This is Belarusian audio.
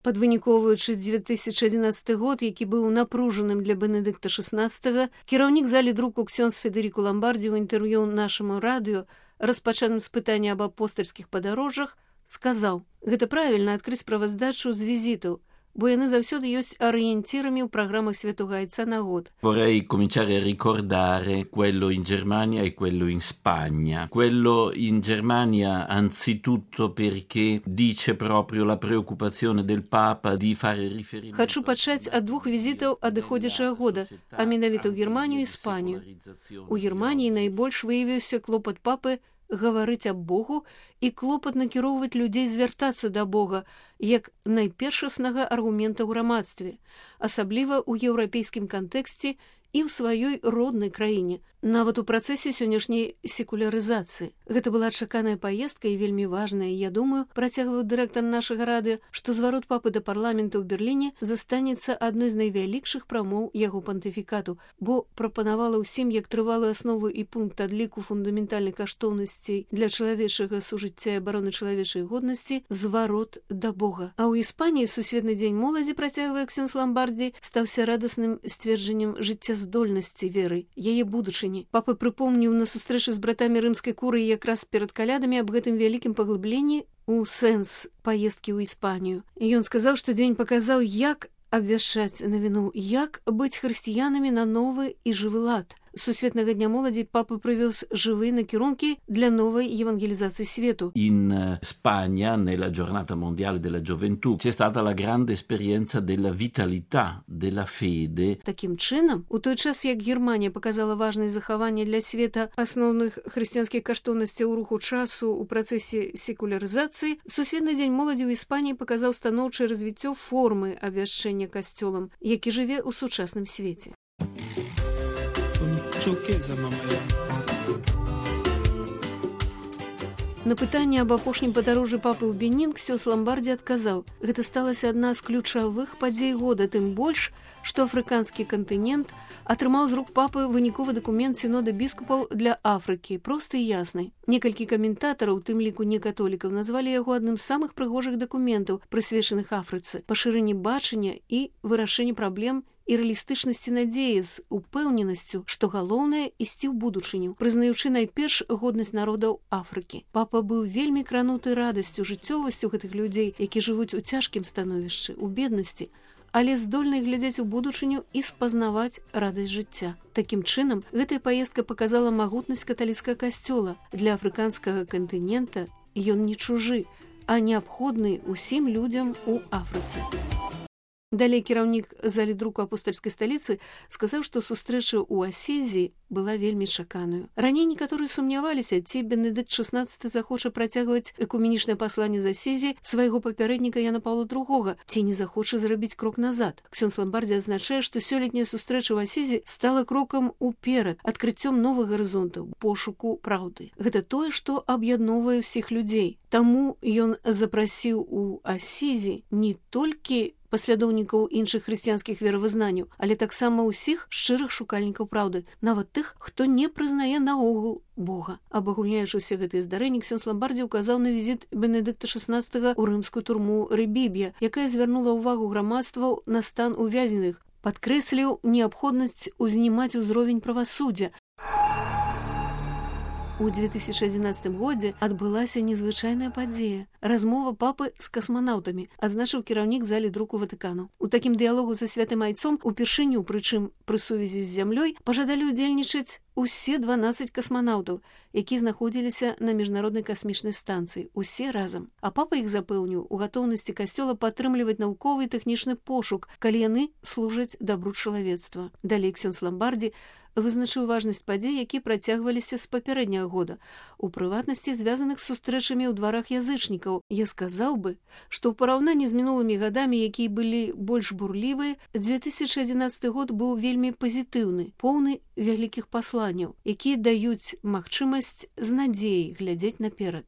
Падвыніковуючы 2011 год, які быў напружаным для Бенедыкта XVI, кіраўнік залі друку ксёндз Федэріку Ламбардзі ў інтэрв'ю нашаму радыё, распачаным з пытання аб апостальскіх падарожжах, сказаў: «Гэта правільна адкрыць справаздачу з візітаў, бо яны заўсёды ёсць арыенцірамі ў праграмах Святога Айца на год». Vorrei cominciare a ricordare quello in Germania e quello in Spagna. Quello in Germania anzitutto perché dice proprio la preoccupazione del Papa di fare riferimento... Хачу пачаць ад двух візітаў адыходзячага года, а менавіта ў Германію і Іспанію. У Германіі найбольш выявіўся клопат папы гаварыць аб Богу і клопат накіроўваць людзей звяртацца да Бога як найпершаснага аргумента ў грамадстве, асабліва ў еўрапейскім кантэксце і ў сваёй роднай краіне, нават у працэсе сённяшняй секулярызацыі. Гэта была чаканая паездка і вельмі важная. Я думаю, працягваў дырэктар нашага радыё, што зварот папы да парламента ў Берліне застанецца адной з найвялікшых прамоў яго пантыфікату, бо прапанавала ўсім як трывалую аснову і пункт адліку фундаментальных каштоўнасцей для чалавечага сужыцця і абароны чалавечай годнасці зварот да Бога. А ў Іспаніі сусветны дзень моладзі, працягвае ксёндз Ламбардзі, стаўся радасным сцверджаннем жыццяздольнасці веры, яе будучыні. Папа прыпомніў на сустрэчы з братамі рымскай курыі якраз перад калядамі аб гэтым вялікім паглыбленні ў сэнс паездкі ў Іспанію. І ён сказаў, што дзень паказаў, як абвяшчаць навіну, як быць хрысціянамі на новы і жывы лад. Сусветнага дня моладзі папа прывёз жывыя накірункі для новай евангелізацыі свету. In Spagna, nella giornata mondiale della gioventù, c'è stata la grande esperienza della vitalità, della fede. Такім чынам, у той час, як Германія паказала важнасць захавання для света асноўных хрысціянскіх каштоўнасцяў руху часу ў працэсе секулярызацыі, Сусветны дзень моладзі ў Іспаніі паказаў станоўчае развіццё формы абвяшчэння касцёлам, які жыве ў сучасным свеце. На пытанне аб апошнім падарожжы папы ў Бенін ксёндз Ламбардзі адказаў: «Гэта сталася адна з ключавых падзей года, тым больш, што афрыканскі кантынент атрымаў з рук папы выніковы дакумент сінода біскупаў для Афрыкі, просты і ясны. Некалькі каментатараў, у тым ліку некатолікаў, назвалі яго адным з самых прыгожых дакументаў, прысвечаных Афрыцы, пашырэнні бачання і вырашэнні праблем і рэалістычнасці надзеі з упэўненасцю, што галоўнае ісці ў будучыню, прызнаючы найперш годнасць народаў Афрыкі. Папа быў вельмі крануты радасцю, жыццёвасцю гэтых людзей, які жывуць у цяжкім становішчы, у беднасці, але здольны глядзець у будучыню і спазнаваць радасць жыцця. Такім чынам, гэтая паездка паказала магутнасць каталіцкага касцёла. Для афрыканскага кантынента ён не чужы, а неабходны ўсім людзям у Афрыцы. Далей кіраўнік залі друку апостальскай сталіцы сказаў, што сустрэча ў Асізі была вельмі чаканую. Раней некаторыя сумняваліся, ці Бенедыкт XVI захоча працягваць экуменічнае пасланне з Асізі свайго папярэдніка Яна Паўла II, ці не захоча зрабіць крок назад. Ксёндз Ламбардзі адзначае, што сёлетняя сустрэча ў Асізі стала крокам уперад, адкрыццём новых гарызонтаў, пошуку праўды. Гэта тое, што аб'ядноўвае ўсіх людзей. Таму ён запрасіў у Асізі не толькі паслядоўнікаў іншых хрысціянскіх веравызнанняў, але таксама ўсіх шчырых шукальнікаў праўды, нават тых, хто не прызнае наогул Бога. Абагульняючы ўсе гэтыя здарэнні, ксёндз Ламбардзі ўказаў на візіт Бенедыкта XVI ў рымскую турму Рыбіб'я, якая звярнула ўвагу грамадстваў на стан увязненых, падкрэсліў неабходнасць узнімаць узровень правасуддзя. У 2011 годзе адбылася незвычайная падзея. Размова папы з касманаўтамі, адзначыў кіраўнік залі друку Ватыкану. У такім дыялогу са святым айцом упершыню, прычым пры сувязі з зямлёй, пажадалі ўдзельнічаць усе 12 касманаўтаў, які знаходзіліся на міжнароднай касмічнай станцыі, усе разам. А папа іх запэўніў у гатоўнасці касцёла падтрымліваць навуковы і тэхнічны пошук, калі яны служаць дабру чалавецтва. Далей ксёндз Ламбардзі вызначыў важнасць падзей, які працягваліся з папярэдняга года, у прыватнасці звязаных з сустрэчамі ў дварах язычнікаў. Я сказаў бы, што ў параўнанні з мінулымі гадамі, якія былі больш бурлівыя, 2011 год быў вельмі пазітыўны, поўны вялікіх пасланняў, якія даюць магчымасць з надзеяй глядзець наперад.